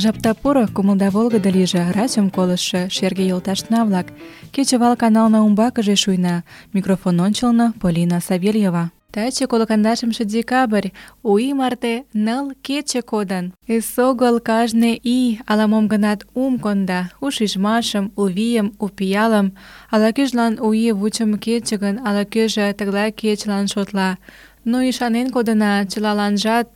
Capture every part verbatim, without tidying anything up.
Жапда поро, кумылда волгыдо лийже, радиом колыштшо шерге йолташна-влак. Кечывал канална умбакыже шуйна. Микрофон ончылно Полина Савельева. Таче коло кандашымше декабрь, у ий марте ныл кече кодын. Эсогыл кажне ий ала-мом гынат ум конда, у шижмашым, у вийым, у пиалым. Ала-кӧжлан у ий вучымо кече гын, ала-кӧжӧ тыглай кечылан шотла. Но ӱшанен кодына, чылаланжат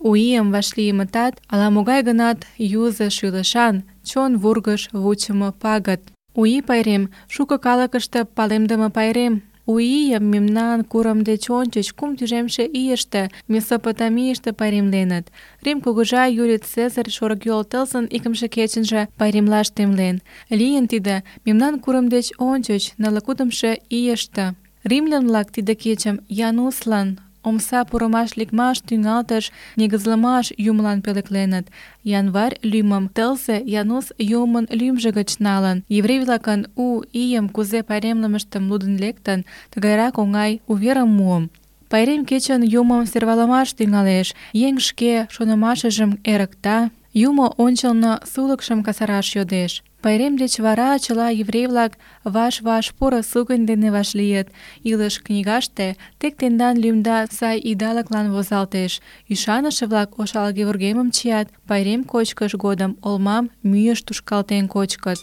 у ийым вашлиймытат ала-могай гынат юзо шӱлышан, чон вургыж вучымо пагыт. У ий пайрем — шуко калыкыште палемдыме пайрем. У ийым мемнан курым деч ончыч кум тӱжемше ийыште Месопотамийыште пайремленыт. Рим кугыжа Юлий Цезарь шорыкйол тылзын икымше кечынже пайремлаш темлен. Лийын тиде мемнан курым деч ончыч нылле кудымшо ийыште. Римлян-влак тиде кечым Януслан, омса пурымаш-лекмаш тӱҥалтыш негызлымаш юмылан пӧлекленыт. Январь лӱмым тылзе Янус юмын лӱмжӧ гыч налын. Еврей-влакын у ийым кузе пайремлымыштым лудын лектын, тыгайрак оҥай уверым муым. Пайрем кечын юмым сӧрвалымаш тӱҥалеш, еҥ шке шонымашыжым эрыкта, юмо ончылно сулыкшым касараш йодеш. Пайрем деч вара чыла еврей-влак ваш-ваш поро сугынь дене вашлийыт. Илыш книгаште тек тендан лӱмда сай идалыклан возалтеш. Ӱшаныше-влак ошалге вургемым чият, пайрем кочкыш годым олмам мӱйыш тушкалтен кочкыт.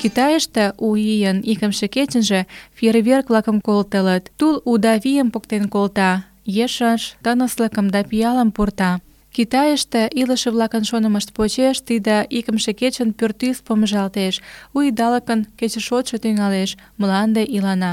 Китайыште у ийын икымше кечынже фейерверк-влакым колтылыт. Тул уда вийым поктен колта, ешыш тыныслыкым да пиалым пурта. Китайыште илыше-влакын шонымышт почеш тиде икымше кечын пӱртӱс помыжалтеш, у идалыкын кечышотшо тӱҥалеш, мланде илана.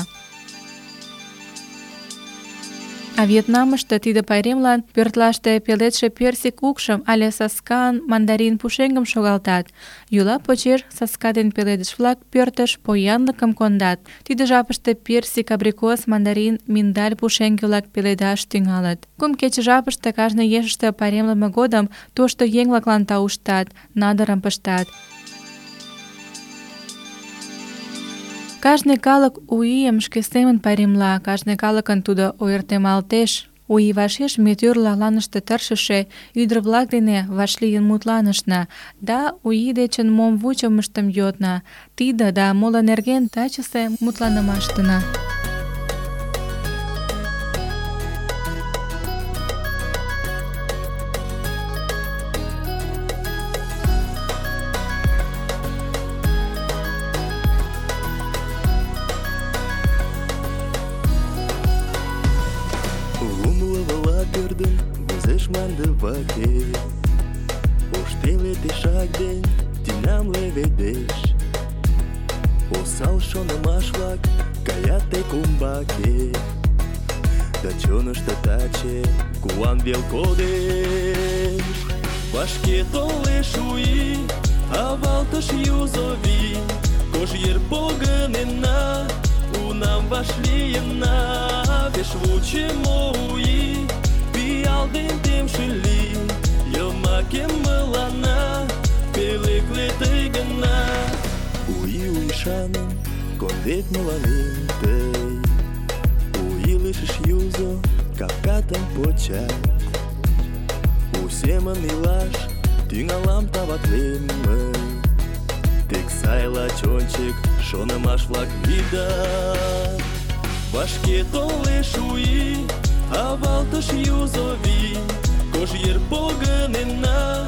А Вьетнамыште тиде пайремлан пӧртлаште пеледше персик укшым але саскан мандарин пушеҥгым шогалтат. Йӱла почеш саска ден пеледыш-влак пӧртыш поянлыкым кондат. Тиде жапыште персик, абрикос, мандарин, миндаль пушеҥге-влак пеледаш тӱҥалыт. Кум кече жапыште кажне ешыште пайремлыме годым тошто еҥ-влаклан тауштат, надырым пыштат. Кажне калык у ийым шке семын пайремла, кажне калыкын тудо ойыртемалтеш. У ий вашеш ме тӱрлӧ аланыште тыршыше ӱдыр-влак дене вашлийын мутланышна да у ий дечын мом вучымыштым йодна. Тиде да моло нерген тачысе мутланымаштына. Manda vaquer, os teletes chagden, dinam levedesh, o sal shona mashlak, kayate kumbake, da chonashta tache, kuan velkodesh, вашке толеш уи, авалташ юзови, кожьер погынена, унам вашлиена, веш вучемо уи. Алден темшили, йомаке мылана, пелекле тый гына. Уи уишаным, кондет мыланем тый, у илышыш юзо, капкатым почат. У семын илаш, тӱҥалам таватлем мый. Тек сайла чончик, шонымаш-влак вийдат. Вашке толеш уи, авалтыш юзови, кожьер погынена,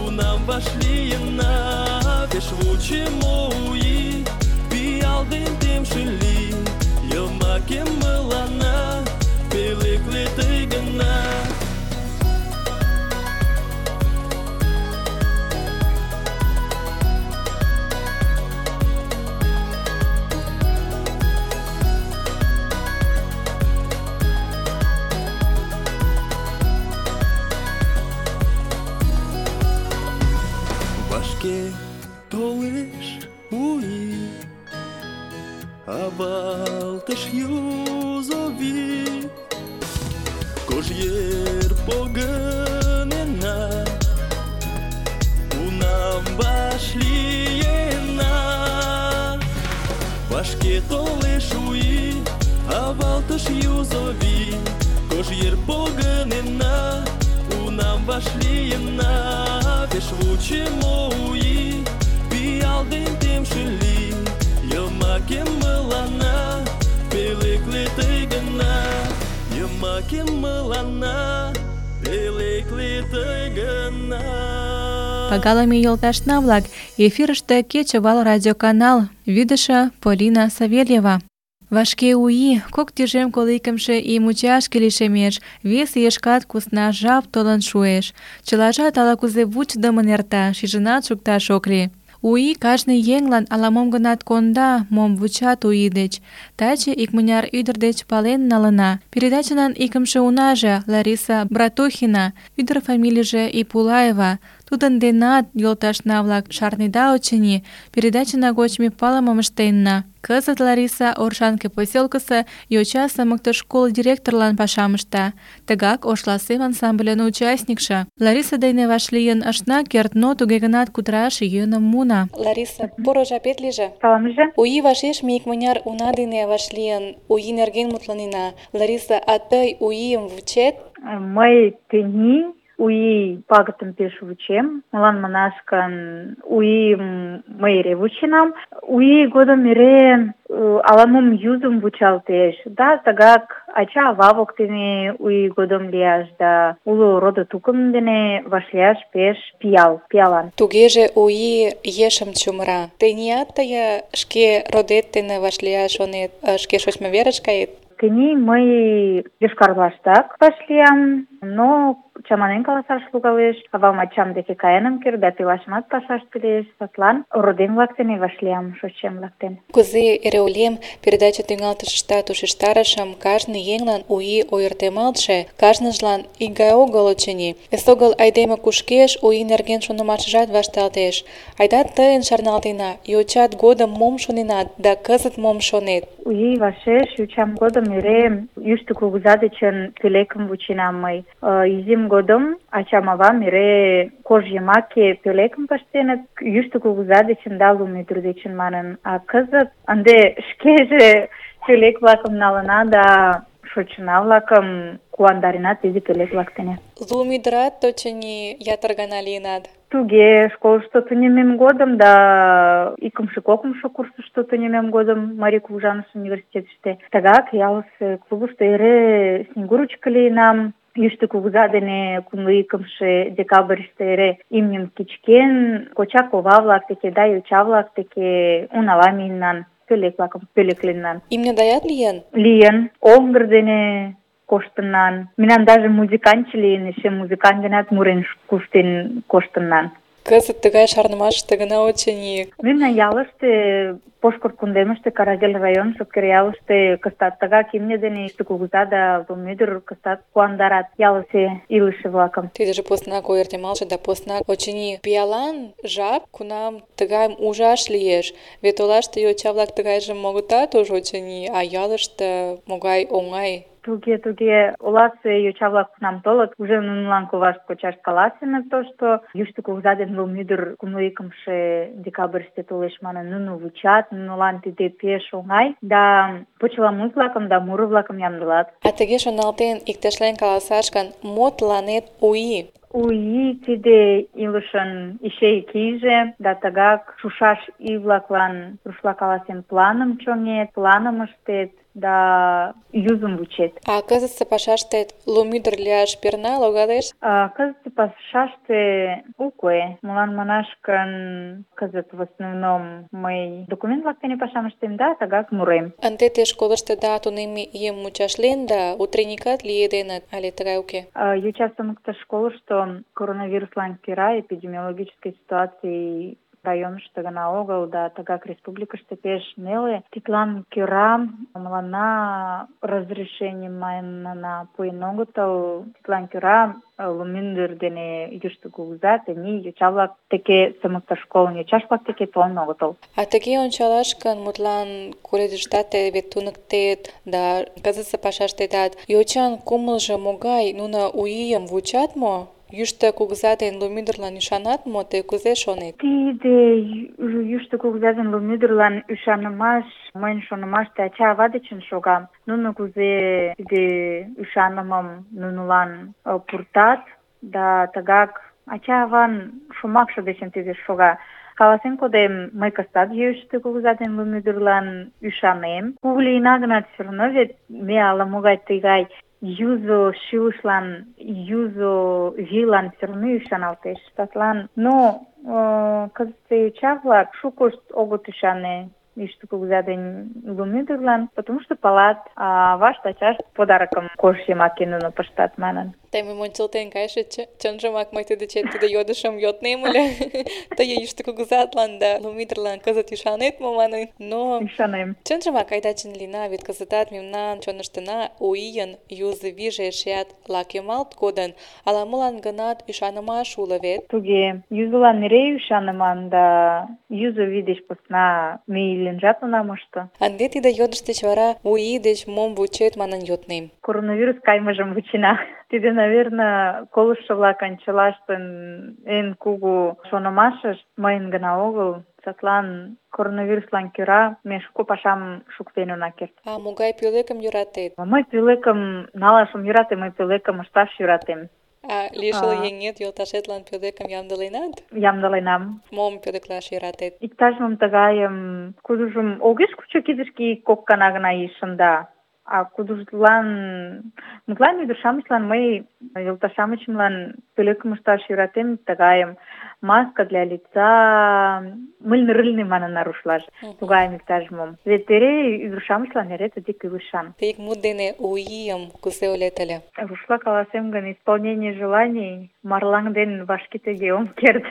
унам вашлийына, веш вучемо уи, пиал ден темшили, йомаке мылана, пелекле тый гына. Толеш уи, авалтыш юзови, кожьер погынена, унам вашлиена. Вашке толеш уи, авалтыш юзови, кожьер погынена, кунам вашлийына, пеш вучымо у ий, пиал ден темше лий, йомакем мыланна, пӧлекле тый гына, йомакем мыланна, пӧлекле тый гына. Пагалыме йолташна-влак, эфирыште кечывал радиоканал, вӱдышӧ Полина Савельева. Вашке у ий, кок тӱжем коло икымше ий мучашке лишемеш, вес ийышкат кусна жап толын шуэш. Чылажат ала-кузе вучыдымын эрта, шижынат шукташ ок лий. У ий кажне еҥлан ала-мом гынат конда, мом вучат у ий деч. Таче икмыняр ӱдыр деч пален налына. Передачанан икымше унаже Лариса Братухина, ӱдыр фамилийже Ипулаева. Тудын денат, йолташна-влак, шарнеда, очыни, передачына гоч ме палымым ыштенна. Кызыт Лариса Оршанке поселкысе йоча сымыктыш школ директорлан пашам ышта. Тыгак Ошласем ансамбльын участникше. Лариса дене вашлийын ышна керт, но туге гынат кутыраш йӧным муна. Лариса, поро жапет лийже. Саламже. У ий вашеш ме икмыняр уна дене вашлийын, у ий нерген мутланена. Лариса, а тый у ийым вучет? Мый тений у ий пагытым пеш вучем. Молан манаш гын, у ийым мый эре вученам. У ий годым эре ала-мом юзым вучалтеш. Да, тыгак ача-ава воктене у ий годым лияш да уло родо-тукым дене вашлияш пеш пиал, пиалан. Тугеже у ий ешым чумыра. Теният тые шке родет дене вашлияш шонет, шке шочмо верыш кает? Тений мый Йошкар-Олаштак вашлиям, но чаманен каласаш логалеш. Авам-ачам деке каен ом керт да пелашымат пашаште лиеш. Садлан родем-влак дене вашлиям, шочшем-влак дене. Кузе эре ойлем, передача тӱҥалтышыштат ушештарышым, кажне еҥлан у ий ойыртемалтше, кажныжлан икгай огыл, очыни. Эсогыл айдеме кушкеш, у ий нерген шонымашыжат вашталтеш. Айда тыйын шарналтена, йочат годым мом шоненат да кызыт мом шонет? У ий вашеш йочам годым эре Йӱштӧ Кугыза дечын пӧлекым вученам мый. Изим годым ачам-авам эре кож йымаке пӧлекым пыштеныт, Йӱштӧ Кугыза дечын да Лум ӱдыр дечын манын. А кызыт ынде шкеже пӧлек-влакым налына да шочына-влакым куандарена тиде пӧлек-влак дене. Лум ӱдырат, очыни, ятыр гана лийынат. Туге, школышто тунеммем годым да икымше-кокымшо курсышто тунеммем годым Марий Кугыжаныш университетыште. Тыгак ялысе клубышто эре снегурочка лийынам. Йӱштӧ Кугыза дене кумло икымше декабрьыште эре имньым кычкен, коча-кова-влак деке да йоча-влак деке унала миеннан, пӧлек-влакым пӧлекленнан. Имньыдаят лийын? Лийын. Оҥгыр дене коштыннан. Мемнан даже музыкантче лийын, эше музыкант денат мурен куштен коштыннан. Кызыт тыгай шарнымашыште гына, очыни. Мемнан ялыште, Пошкырт кундемыште, Карагел район, Шопкер ялыште кыстат тыгак имне дене Йӱштӧ Кугыза да Лум ӱдыр кыстат куандарат ялысе илыше-влакым. Тидыже поснак ойыртемалтше да поснак, очыни, пиалан жап, кунам тыгайым ужаш лиеш. Вет олаште йоча-влак тыгайжым огытат уж, очыни, а ялыште могай оҥай. Туге, туге, оласе йоча-влак кунам толыт, уже нунылан ковашт кочашт каласеныт тошто. Йӱштӧ Кугыза ден Лум ӱдыр кумло икымше декабрьыште толеш манын, нуно вучат, нунылан тиде пеш оҥай, да почеламут-влакым да муро-влакым ямдылат. А тыге шоналтен, иктешлен каласаш гын, мо тыланет у ий? У ий тиде илышын ячейка ийже, да тыгак шушаш ий-влаклан, рушла каласен, планым чоҥет, планым ыштет, да юзым вучет. А кызытсе пашаштет Лум ӱдыр лияш перна логалеш? А кызытсе пашаште уке. Молан манаш гын, кызыт в основном мый документ-влак дене пашам ыштем да тыгак мурем. Ынде те школыштыда тунемме ийым мучашлен да утренникат лиеденыт, але тыгай уке? Йоча сымыктыш школышто коронавируслан кӧра эпидемиологический ситуаций районышто гына огыл да тыгак республикыште пеш неле. Тидлан кӧра мыланна разрешенийым манына пуэн огытыл. Тидлан кӧра Лум ӱдыр дене Йӱштӧ Кугыза тений йоча-влак деке сымыктыш школын йоча-влак деке толын огытыл. А тыге ончалаш гын, мутлан колледжыштат тый вет туныктет да кызытсе пашаштетат йочан кумылжо могай? Нуно у ийым вучат мо? Йӱштӧ Кугыза ден Лум ӱдырлан ӱшанат мо? Тый кузе шонет? Тиде Йӱштӧ Кугыза ден Лум ӱдырлан ӱшанымаш, мыйын шонымаште, ача-ава дечын шога. Нуно кузе тиде ӱшанымым нунылан пуртат, да тыгак ача-аван шомакше дечын тиде шога. Каласен кодем, мый кызытат Йӱштӧ кугыза ден Лум ӱдырлан ӱшанем. Кугу лийына гынат, все равно вет ме ала-могай тыгай юзо шӱлышлан, юзо вийлан все равно ӱшаналтеш. Садлан, но э, кызытсе йоча-влак шукышт огыт ӱшане Йӱштӧ кугыза ден Лум ӱдырлан, потому что палат, а авашт, ачашт подарокым кож йымаке нуно пыштат манын. Тый мыйым ончылтен кайышыч, чынжымак мый тый дечет тиде йодышым йоднем ыле. Тый Йӱштӧ кугызатлан да Лум ӱдырлан кызыт ӱшанет мо манын, но Ӱшанем. чынжымак айда чын лийна, вет кызытат мемнан чоныштына у ийын юзо вийже эшеат лакемалт кодын, ала-молан гынат ӱшанымаш уло вет. Туге, юзылан эре ӱшаныман, да юзо вий деч посна ме иленжат она мошто. Ынде тиде йодыш деч вара у ий деч мом вучет манын йоднем. Коронавирус каймыжым вучена. Тиде, наверное, колыштшо-влакын чылаштын эн кугу шонымашышт, мыйын гына огыл. Садлан коронавируслан кӧра ме шуко пашам шуктен она керт. А могай пӧлекым йӧратет? Мый пӧлекым налаш ом йӧрате, мый пӧлекым ышташ йӧратем. А лишыл еҥет, йолташетлан пӧлекым ямдыленат? Ямдыленам. Мом пӧлеклаш йӧратет? Иктаж-мом тыгайым, кудыжым огеш кучо кидышке кок гана гына ий шында. А кудыжлан, мутлан ӱдыр-шамычлан мый йолташ-шамычемлан пӧлекым ышташ йӧратем, тыгайым маска для лица, мыльный-рыльный манына рушлаш, тугайым иктаж-мом. Вет эре ӱдыр-шамычлан эре тыге кӱлешан. Тый ик мут дене у ийым кузе ойлет ыле? Рушла каласем гын, исполнение желаний марлаҥ ден вашке тыге ом керт.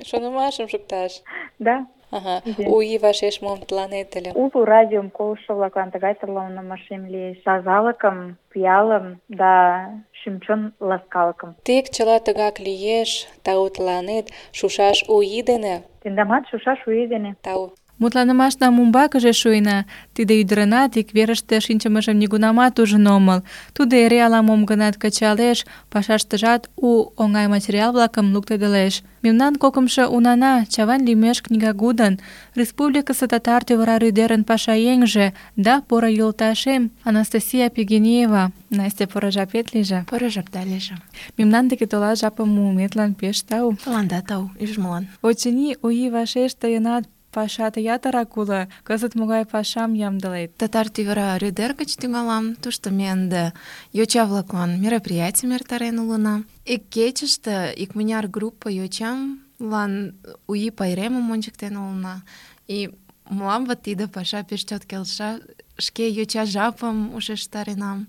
Шонымашым шукташ. Да. Ага. У ий вашеш мом тыланет ыле? Уло радиом колыштшо-влаклан тыгай тырланымашем лиеш. Тазалыкым, пиалым да шӱм-чон ласкалыкым. Тек чыла тыгак лиеш, тау тыланет, шушаш у ий дене. Тендамат шушаш у ий дене. Тау. Мутланымашнам умбакыже шуйна. Тиде ӱдырынат ик верыште шинчымыжым нигунамат ужын омыл. Тудо эре ала-мом гынат кычалеш, пашаштыжат у оҥай материал-влакым луктедылеш. Мемнан кокымшо унана Чавайн лӱмеш книгагудын, республикысе татар тӧвара рӱдерын пашаеҥже да поро йолташем Анастасия Пигенеева. Настя, поро жапет лийже. Поро жапда лийже. Мемнан деке толаш жапым муыметлан пеш тау. Тыланда тау, ӱжмылан. Очыни, у ий вашеш тыйынат пашат ятырак уло. Кызыт могай пашам ямдылет? Татар тӱвара рӱдер гыч тӱҥалам. Тушто ме ынде йоча-влаклан мероприятийым эртарен улына. Ик кечыште икмыняр группа йочамлан у ий пайремым ончыктен улына. И мылам вот тиде паша пеш чот келша. Шке йоча жапым ушештаренам.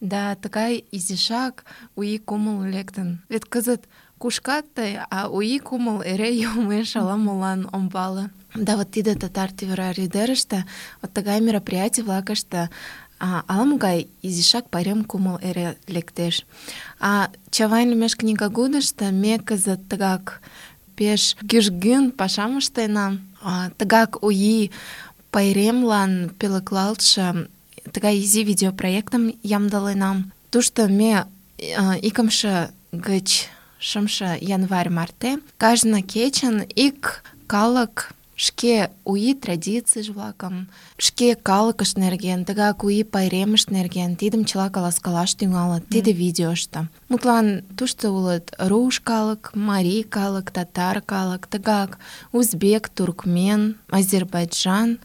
Да тыгай изишак у ий кумыл лектын. Вет кызыт кушкат тый, а у ий кумыл эре йомеш ала-молан ом пале. Да вот тиде татар тӱвара рӱдерыште, вот тыгай мероприятий-влакыште а, ала-могай изишак пайрем кумыл эре лектеш. А Чавайн лӱмеш книгагудышто ме кызыт тыгак пеш кӱжгӱн пашам ыштена. А, тыгак у ий пайремлан пӧлеклалтше тыгай изи видеопроектым ямдыленам. Тушто ме а, икымше гыч шымше январь марте кажне кечын ик калык шке у ий традицийж-влакым, шке калыкышт нерген, тыгак у ий пайремышт нерген тидым чыла каласкалаш тӱҥалыт тиде видеошто. Мутлан тушто улыт руш калык, марий калык, татар калык, тыгак узбек, туркмен, азербайджан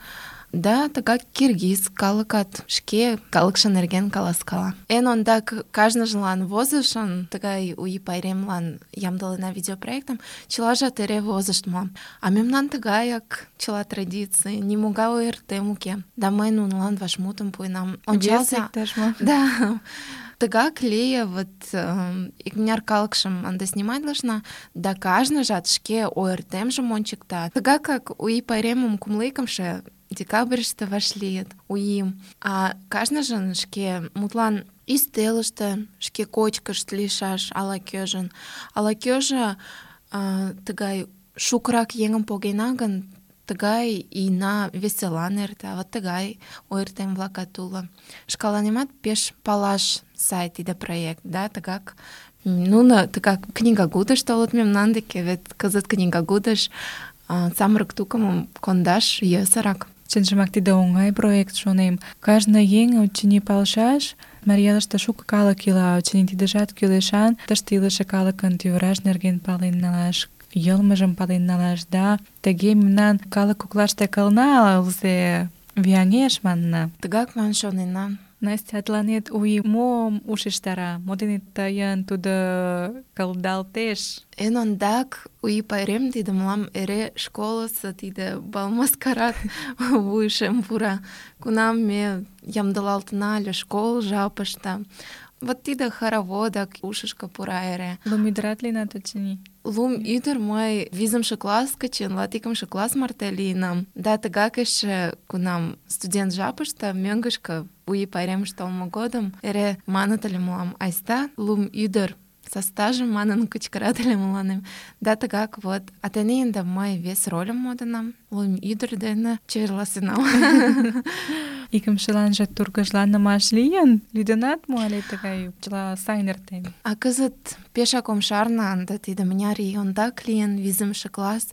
да тыгак киргиз калыкат шке калыкше нерген каласкала. Эн ондак кажныжлан возышын тыгай у ий пайремлан ямдылена видеопроектым, чылажат эре возыштмо. А мемнан тыгаяк чыла традиций, нимогай ойыртем уке. Да мый нунылан вашмутым пуэнам. Ончалза. Да. Тыгак лие, вот э, икмыняр калыкшым ынде сниматлышна, да кажныжат шке ойыртемжым ончыкта. Тыгакак у ий пайремым кумло икымше декабрьыште вашлийыт у ийым. А кажныжын шке мутлан ӱстелыште шке кочкышт лийшаш ала-кӧжын. Ала-кӧжӧ э, тыгай шукырак еҥым погена гын, тыгай ийна веселан эрта, вот тыгай ойыртем-влакат уло. Шкаланемат пеш палаш сай тиде проект, да, тыгак нуно тыгак книгагудыш толыт мемнан деке, вет кызыт книгагудыш э, самырык тукымым кондаш йӧсырак. Чынжымак тиде оҥай проект, шонем. Кажне еҥ, очыни, палышаш, Марий Элыште шуко калык ила, очыни тидыжат кӱлешан, тыште илыше калыкын тӱвыраж нерген пален налаш, йылмыжым пален налаш, да тыге мемнан калык коклаште кылна ылзе вияҥеш манна. Тыгак ман шоненам. Настя, тыланет у ий мом ушештара? Мо дене тыйын тудо кылдалтеш? Эн ондак у ий пайрем тиде мылам эре школысо тиде бал-маскарад вуйышем пура. Кунам ме ямдылалтына ыле школ жапыште. Вот тиде хороводак ушышко пура эре. Лум ӱдырат лийынат, очыни? Лум ӱдыр мый визымше класс гычын латикымше класс марте лийынам. Да тыгак эше кунам студент жапыште мӧҥгышкӧ у ий пайремыш толмо годым эре маныт ыле мылам: айста лум ӱдыр состажым манын кычкырат ыле мыланем. Да тыгак вот. А тений ынде мый вес рольым модынам. Лум ӱдыр дене чеверласенам. Икымшыланже тургыжланымаш лийын? Лӱдынат мо але тыгай чыла сайын эртен? А кызыт пешак ом шарне ынде тиде мыняр ий ондак лийын, визымше класс.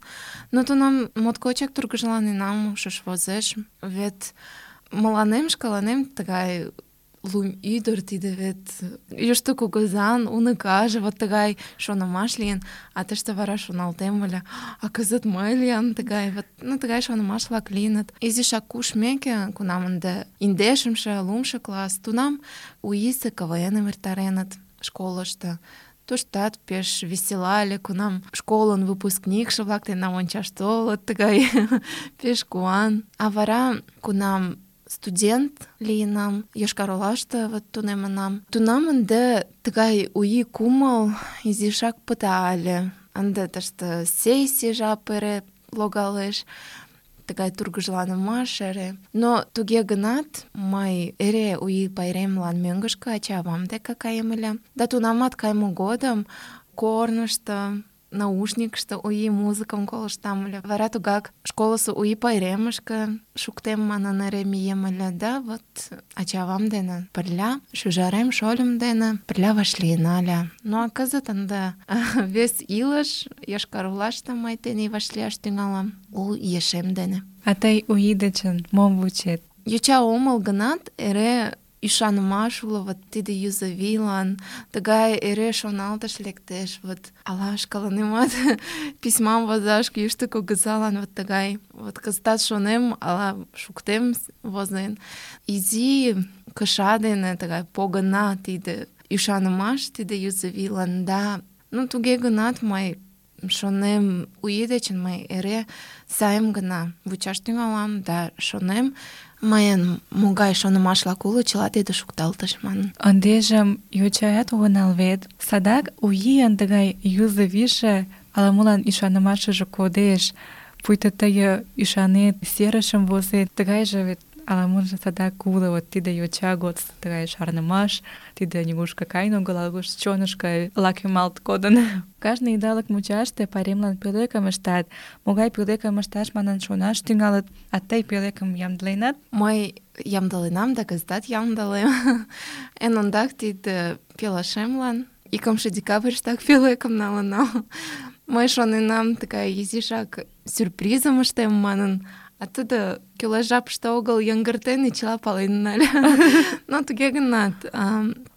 Но тунам моткочак тургыжланенам, ушыш возеш. Вет мыланем шкаланем тыгай лум ӱдыр тиде вет Йӱштӧ Кугызан уныкаже, вот тыгай шонымаш лийын. А тыште вара шоналтем ыле: а кызыт мый лиям тыгай, вот, ну, тыгай шонымаш-влак лийыныт. Изишак кушмеке, кунам ынде индешымше, лумшо класс, тунам у ийысе КВН-ым эртареныт школышто. Туштат пеш весела ыле, кунам школын выпускникше-влак тендан ончаш толыт, тыгай пеш куан. А вара, кунам студент лийынам, Йошкар-Олаште вот тунемынам, тунам ынде тыгай у ий кумыл изишак пыта ыле. Ынде тыште сессий жап эре логалеш, тыгай тургыжланымаш эре. Но туге гынат, мый эре у ий пайремлан мӧҥгышкӧ ача-авам деке каем ыле. Да тунамат кайыме годым корнышто, наушникышто у ий музыкым колыштам ыле. Вара тугак школысо у ий пайремышке шуктем манын эре мием ыле. Да вот ача-авам дене пырля, шӱжарем, шольым дене пырля вашлийына ыле. Ну а кызыт ынде вес илыш Йошкар-Олаште мый тений вашлияш тӱҥалам у ешем дене. А тый у ий дечын мом вучет? Йоча омыл гынат, эре ӱшанымаш уло вот тиде юзо вийлан, тыгай эре шоналтыш лектеш, вот ала шкаланемат письмам возаш Йӱштӧ Кугызалан, вот тыгай. Вот кызытат шонем, ала шуктем возен. Изи кыша дене тыгай погына тиде ӱшанымаш, тиде юзо вийлан, да. Ну, туге гынат мый шонем, у ий дечын мый эре сайым гына вучаш тӱҥалам, да шонем, мыйын могай шонымаш-влак уло, чыла тиде шукталтыш манын. Ындыжым йочаят огынал вет. Садак у ийын тыгай юзо вийже ала-молан ӱшанымашыже кодеш. Пуйто тый ӱшанет, серышым возет, тыгайже вет ала-можо садак уло. Вот тиде йоча годсо тыгай шарнымаш, тиде нигушко каен огыл, ала чонышко лакемалт кодын. Кажне идалык мучаште пайремлан пӧлекым ыштат. Могай пӧлекым ышташ манын шонаш тӱҥалыт. А тый пӧлекым ямдыленат? Мый ямдыленам да кызытат ямдылем. Эн ондак тиде пелашемлан икымше декабрьыштак пӧлекым налынам. Мый шоненам тыгай изишак сюрпризым ыштем манын. А тудо кӱлеш жапыште огыл йыҥгыртен и чыла пален нале. Но туге гынат,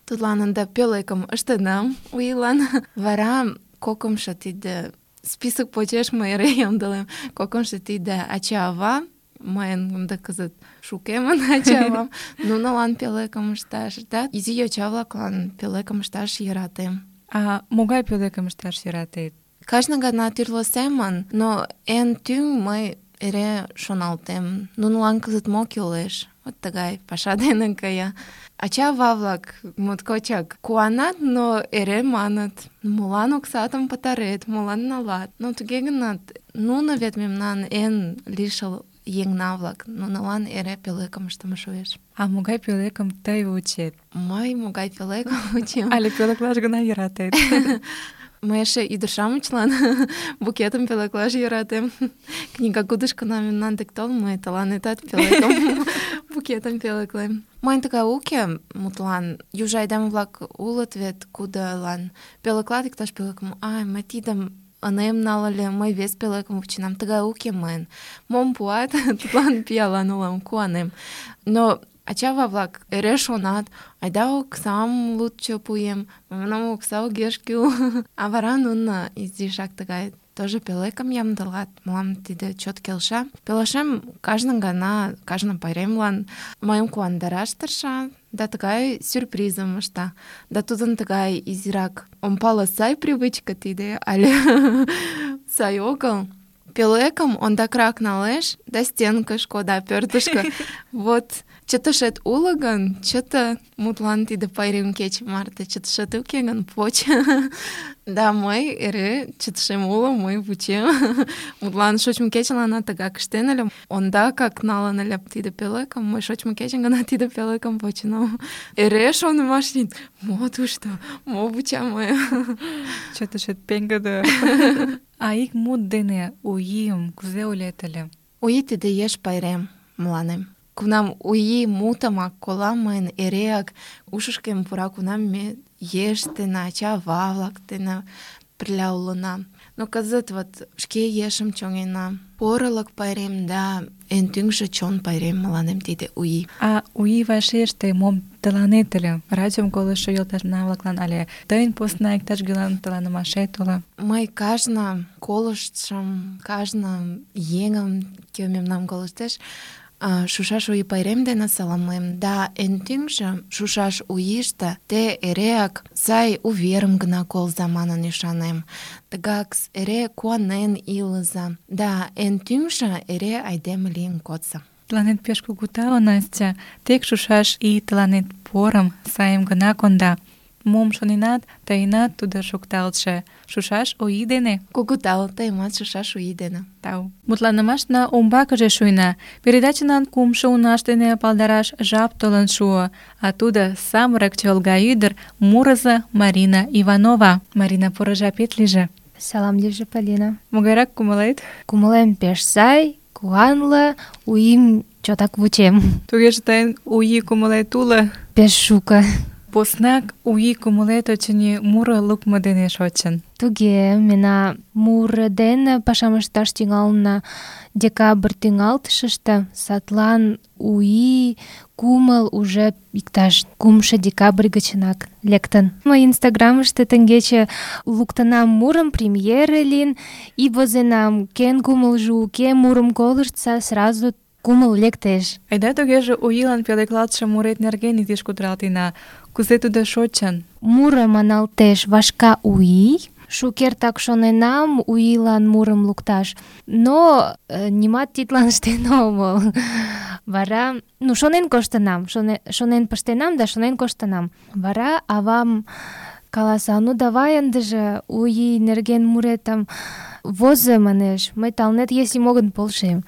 тудлан ынде пӧлекым ыштенам у ийлан. Вара кокымшо тиде список почеш мый эре ямдылем. Кокымшо тиде ача-ава, мыйын ынде кызыт шукемын ача-авам, нунылан пӧлекым ышташ, да изи йоча-влаклан пӧлекым ышташ йӧратем. А могай пӧлекым ышташ йӧратет? Кажне гана тӱрлӧ семын, но эн тӱҥ мый эре шоналтем, нунылан кызыт мо кӱлеш. Вот тыгай паша дене кая. Ача-ава-влак моткочак куанат, но эре маныт: молан оксатым пытарет, молан налат. Но туге гынат, нуно вет мемнан эн лишыл еҥна-влак, нунылан эре пӧлекым ыштыме шуэш. А могай пӧлекым тый вучет? Мый могай пӧлекым вучем? Але пӧлеклаш гына йӧратет? Мый эше ӱдыр-шамычлан букетым пӧлеклаш йӧратем. Книгагудышкына мемнан дек тол, мый тыланетат пӧлекым, букетым пӧлеклем. Мыйын тыгай уке, мутлан, южо айдеме-влак улыт вет, кудылан пӧлеклат иктаж пӧлекым: ай, мый тидым ынем нал ыле, мый вес пӧлекым вученам. Тыгай уке мыйын. Мом пуат, тудлан пиалан улам, куанем. Но ачава-влак эре шонат, айда оксам лучше пуэм, мемнам окса огеш кӱл. А вара нуно изишак тыгай тоже пӧлекым ямдылат. Мылам тиде чот келша. Пелашем кажне гана, кажне пайремлан мыйым куандараш тырша да тыгай сюрпризым ышта. Да тудын тыгай изирак, ом пале, сай привычка тиде але сай огыл. Пӧлекым ондакрак налеш да стенкыш кода, пӧртышкӧ. Вот чытышет уло гын, чыте, мутлан тиде пайрем кече марте, чытышет уке гын, поч. Да мый эре чытышем уло, мый вучем. Мутлан шочмо кечыланна тыгак ыштен ыле. Ондакак налын ыле тиде пӧлекым, мый шочмо кечын гына тиде пӧлекым почынам. Эре шонымаш лийын, мо тушто, мо вуча мыйым. Чытышет пеҥгыде. А ик мут дене У ийым кузе ойлет ыле? У ий тиде еш пайрем мыланем. Кунам У ий мутымак колам, мыйын эреак ушышкем пура, кунам ме еш дене, ача-ава-влак дене пырля улына. Но кызыт вот шке ешым чоҥена. Порылык пайрем да эн тӱҥжӧ чон пайрем мыланем тиде У ий. А У ий вашеш тый мом тыланет ыле? Радиом колыштшо йолташна-влаклан але тыйын посна иктаж-кӧлан тыланымашет уло? Мый кажне колыштшым, кажне еҥым, кӧ мемнам колыштеш, шушаш У ий пайрем дене саламлем. Да эн тӱҥжӧ шушаш У ийыште те эреак сай уверым гына колза манын ӱшанем. Тыгак эре куанен илыза. Да эн тӱҥжӧ эре айдеме лийын кодса. Тыланет пеш кугу тау, Настя. Тек шушаш ий тыланет порым, сайым гына конда. Мом шоненат, тыйынат тудо шукталтше. Шушаш У ий дене. Кугу тау, тыйымат шушаш У ий дене. Тау. Мутланымашна умбакыже шуйна. Передачынан кумшо унаш дене палдараш жап толын шуо. А тудо самырык чолга ӱдыр, мурызо Марина Иванова. Марина, поро жапет лийже. Салам лийже, Полина. Могайрак кумылет? Кумылем пеш сай, куанле, У ийым чотак вучем. Тугеже тыйын У ий кумылет уло? Пеш шуко. Поснак У ий кумылет, очыни, муро лукмо дене шочын. Туге, мена муро дене пашам ышташ тӱҥална декабрь тӱҥалтышыште, садлан У ий кумыл уже иктаж кумшо декабрь гычынак лектын. Мый инстаграмыште теҥгече луктынам мурым, премьере лийын, и возенам, кӧн кумылжо уке, мурым колыштса, сразу кумыл лектеш. Айда тугеже У ийлан пӧлеклалтше мурет нерген изиш кутыралтена. Кузе тудо шочын? Муро маналтеш «Вашка У ий». Шукертак шоненам У ийлан мурым лукташ, но э, нимат тидлан ыштен омыл. Вара, ну, шонен коштынам, шоне, шонен пыштенам да шонен коштынам. Вара авам каласа: ну давай ындыже У ий нерген муретым возо, манеш, мый тыланет если могын полшем.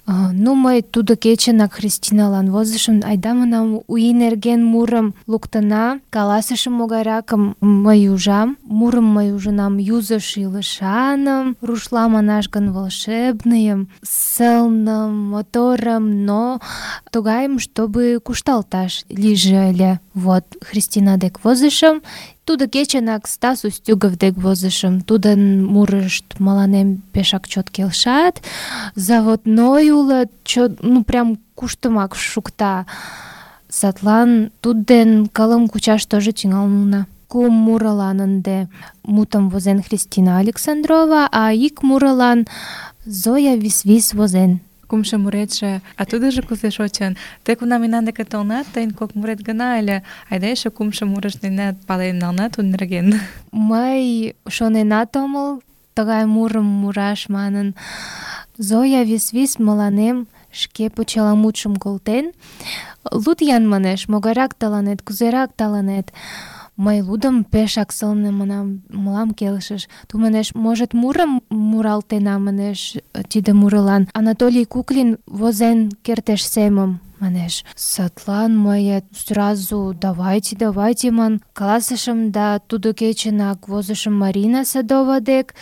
Ну, мый тудо кечынак Христиналан возышым, айда манам У ий нерген мурым луктына, каласышым могайракым мый ужам. Мурым мый ужынам юзо шӱлышаным, рушла манаш гын волшебныйым, сылным, моторым, но тугайым, чтобы кушталташ лийже ыле. Вот, Христина дек возышым, тудо кечынак Стас Устюгов дек возышым. Тудын мурышт мыланем пешак чот келшат, заводной уло, чот, ну прям куштымак шукта. Садлан тудден кылым кучаш тоже тӱҥална. Кум мурылан ынде мутым возен Христина Александрова, а ик мурылан Зоя Висвис возен. Кумшо муретше, а тудыжо кузе шочын? Тек кунам мемнан деке толынат, тыйын кок мурет гына ыле, айда эше кумшо мурыш денат пален нална тудын нерген. Мый шоненат омыл тыгай мурым мураш манын. Зоя Висвис мыланем шке почеламутшым колтен. Луд-ян, манеш, могайрак тыланет, кузерак тыланет? Мый лудым, пешак сылне, манам, мылам келшыш. Ту, манеш, может, мурым муралтена, манеш, тиде мурылан. Анатолий Куклин возен кертеш семым, манеш. Садлан мый сразу давайте, давайте, ман каласышым, да тудо кечынак возышым Марина Садова дек,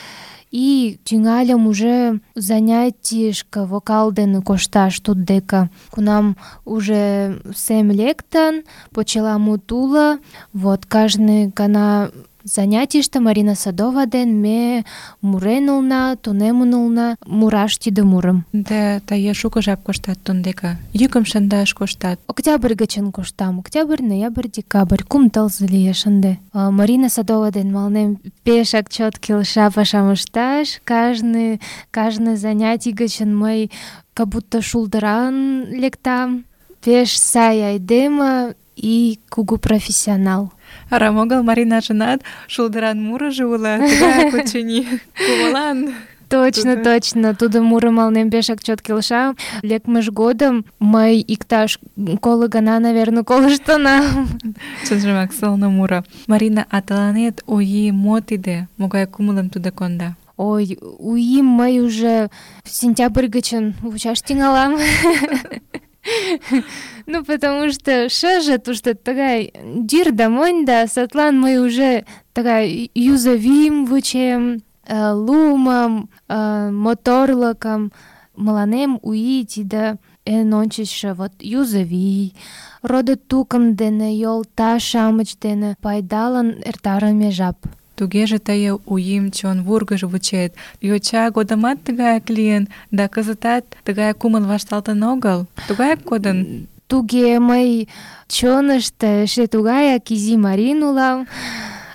и тӱҥальым уже занятийышке вокал дене кошташ туддеке. Кунам уже сем лектын, почеламут уло, вот кажне гана занятийыште Марина Садова ден ме мурен улна, тунемын улна мураш тиде мурым. Да тые шуко жап коштат тундека. Йӱкым шындаш коштат. Октябрь гычын коштам. Октябрь, ноябрь, декабрь. Кум тылзе лиеш ынде. А, Марина Садова ден мыланем пешак чот келша пашам ышташ. Кажне, кажне занятий гычын мый как будто шулдыран лектам. Пеш сай айдеме и кугу профессионал. Арам огыл Маринажынат шулдыран мурыжо уло, тыгаяк очыни. Кумылан. Точно, Тудо. точно. Тудо муро мыланем пешак чот келша. Лекмыж годым мый иктаж коло гана, наверное, колыштынам. Чынжымак сылне муро. Марина, а тыланет ОИ мо тиде? Могай кумылым тудо конда? Ой, УИМ мый уже сентябрь гычын вучаш тӱҥалам. Ну, потому что шыже тушто тыгай дир да монь да, садлан мый уже тыгай юзовим вучем, э, лумым, э, моторлыкым. Мыланем УИ тиде эн ончычшо вот юзовий, родо-тукым дене, йолташ-шамыч дене пайдалын эртарыме жап. Тугеже тые УИМ чон вургыж вучет. Йоча годымат тыгаяк лийын, да кызытат тыгай кумыл вашталтын огыл. Тугаяк кодын. Туге мый чонышто эше тугаяк изи Марин улам,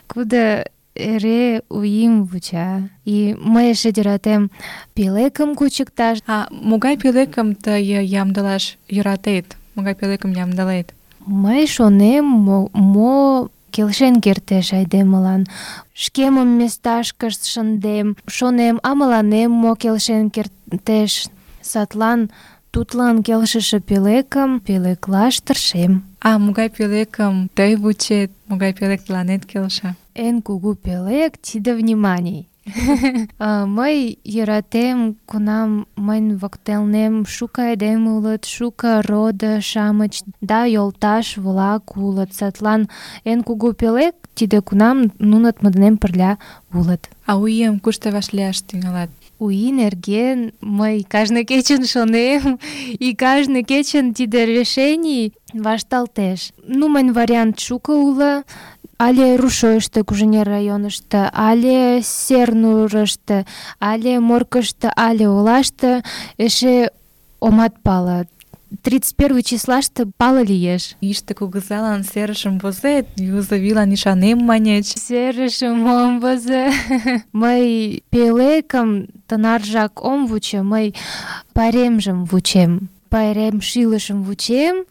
кудо эре УИМ вуча. И мый эше йӧратем пӧлекым кучыкташ. А могай пӧлекым тые ямдылаш йӧратет? Могай пӧлекым ямдылет? Мый шонем, мо, мо келшен кертеш айдемылан. Шкемым месташкыш шындем, шонем, а мыланем мо келшен кертеш. Садлан тудлан келшыше пӧлекым пӧлеклаш тыршем. А могай пӧлекым тый вучет? Могай пӧлек тыланет келша? Эн кугу пӧлек — тиде вниманий. А, мый йӧратем, кунам мыйын воктелнем шуко айдеме улыт, шуко родо-шамыч да йолташ-влак улыт. Садлан эн кугу пӧлек — тиде кунам нунат мый денем пырля улыт. А УИМ кушто вашлияш тӱҥалат? УИ нерген мый кажне кечын шонем, и кажне кечын тиде решений вашталтеш. Ну, мыйын вариант шуко уло. Але Рушойышто, Куженер районышто, але Сернурышто, але Моркышто, але олашто эше омат пале. тридцать первый числаште пале лиеш. Йӱштӧ кугызалан серышым возет, юзовийлан ӱшанем маньыч. Серышым ом возо. Мый пӧлекым тынаржак ом вучо, мый пайремжым вучем. Пайрем шилышым вучем,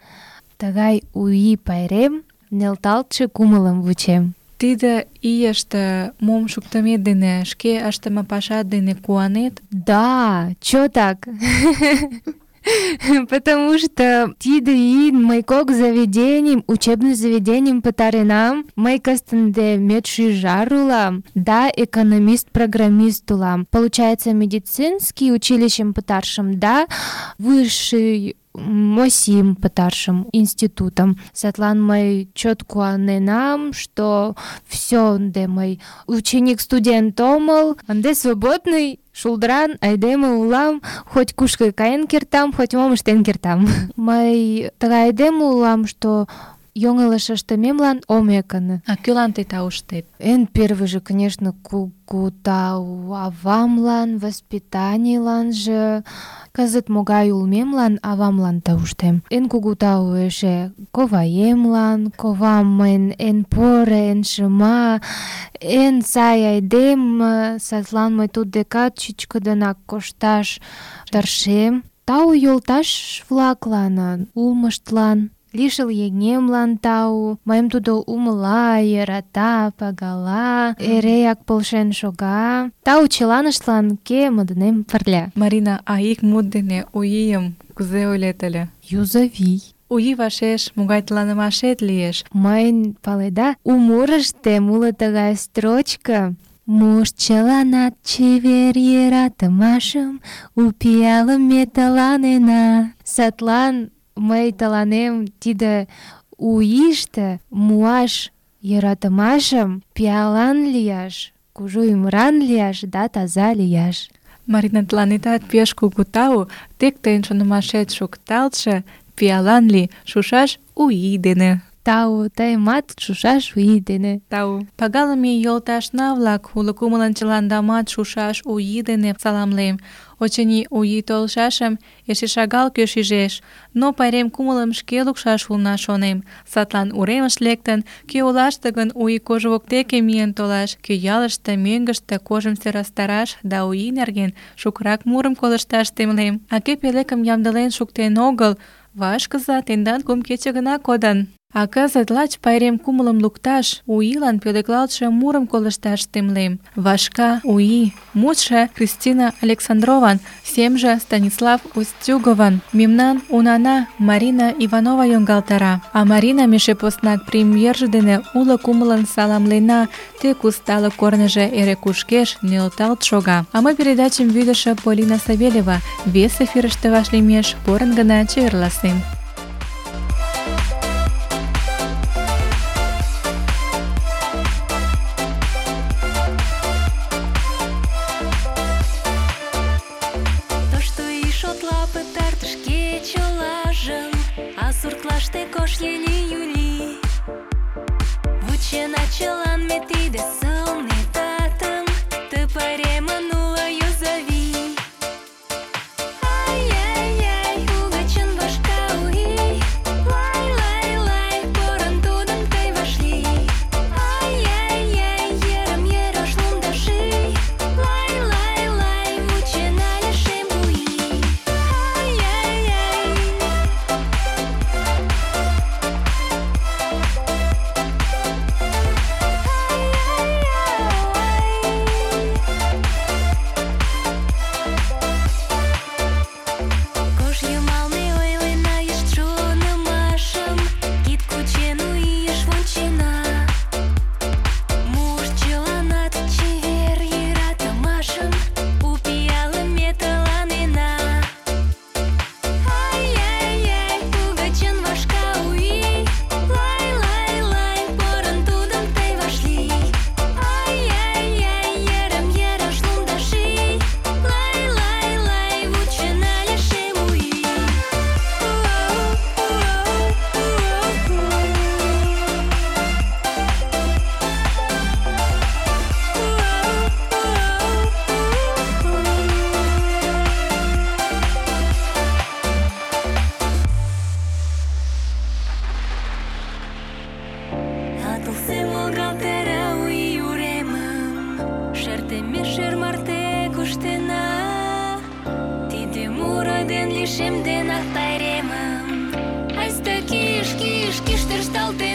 тыгай УИ пайрем нӧлталтше кумылым вучем. Тиде ийыште мом шуктымет дене, шке ыштыме пашат дене куанет? Да, чотак. Потому что тиде ийын мый кок заведенийым, учебный заведенийым пытаренам. Мый кастынде медшӱжар улам, да экономист-программист улам. Получается, медицинский училищем пытаршым, да высший МОСИМ пытаршым институтом. Садлан мый чот куаненам, что все, ынде мый ученик-студент омыл, ынде свободный шулдыран айдеме улам, хоть кушко каен кертам, хоть мом ыштен кертам. Мый тыгай айдеме улам, что йоҥылыш ыштымемлан ом ӧкынӧ. А кӧлан тый тауштет? Эн первыйже, конечно, кугу тау авамлан, воспитанийланже, кызыт могай улмемлан авамлан тауштем. Эн кугу тау эше коваемлан, ковам мыйын эн поро, эн шыма, эн сай айдеме, садлан мый туддекат чӱчкыдынак кошташ тыршем. Тау йолташ-влаклан, улмыштлан. Лишыл еҥемлан тау, мыйым тудо умыла, йӧрата, пагала, эреак полшен шога. Тау чыланыштлан, кӧ мый денем пырля. Марина, а ик мут дене УИМ кузе ойлет ыле? Юзовий. УИ вашеш могай тыланымашет лиеш? Мыйын, паледа, у мурыштем уло тыгай строчка. Муж чыланат чевер йӧратымашым у пиалым ме тыланена. Садлан мый тыланем тиде УИште муаш йӧратымашым пиалан лияш, кужу ӱмыран лияш да таза лияш. Марина, тыланетат пеш кугу тау, тек тыйын шонымашет шукталтше, пиалан лий, шушаш УИ дене. Тау, тыйымат шушаш у ий дене. Тау. Пагалыме йолташна-влак, уло кумылын чыландамат шушаш у ий дене саламлем. Очыни, у ий толшашым эше шагал кӧ шижеш, но пайрем кумылым шке лукшаш улна, шонем. Садлан уремыш лектын, кӧ олаште гын у ий кож воктеке миен толаш, кӧ ялыште, мӧҥгыштӧ кожым сӧрастараш да у ий нерген шукырак мурым колышташ темлем. А кӧ пӧлекым ямдылен шуктен огыл, вашкыза, тендан кум кече гына кодын. А кызыт лач пайрем кумылым лукташ, у ийлан пӧлеклалтше мурым колышташ темлем. Вашка у ий. Мутшо Кристина Александрован, семже Станислав Устюгован. Мемнан унана Марина Иванова йоҥгалтара. А Марина эше поснак премьерже дене уло кумылын саламлена, тек усталык корныжо эре кушкеш, нӧлталт шога. А мый передачым вӱдышӧ Полина Савельева вес эфирыште вашлиймеш порын гына чеверласем. Суртлаште кош ели-юли Вучена чылан ме тиде сылне татым Ты пайремын уло юзави Ай-яй-яй, угычын вашка у ий Лай-лай-лай, порын тудым тый вашлий Ай-яй-яй, йырым-йыр ош лумда ший Лай-лай-лай, вучена лишем у ий Ай-яй-яй Атылсем волгалтара у ий уремым Шертеме шер марте куштена Тиде муро ден лишемденак пайремым Айста киш, киш, киш тӧршталте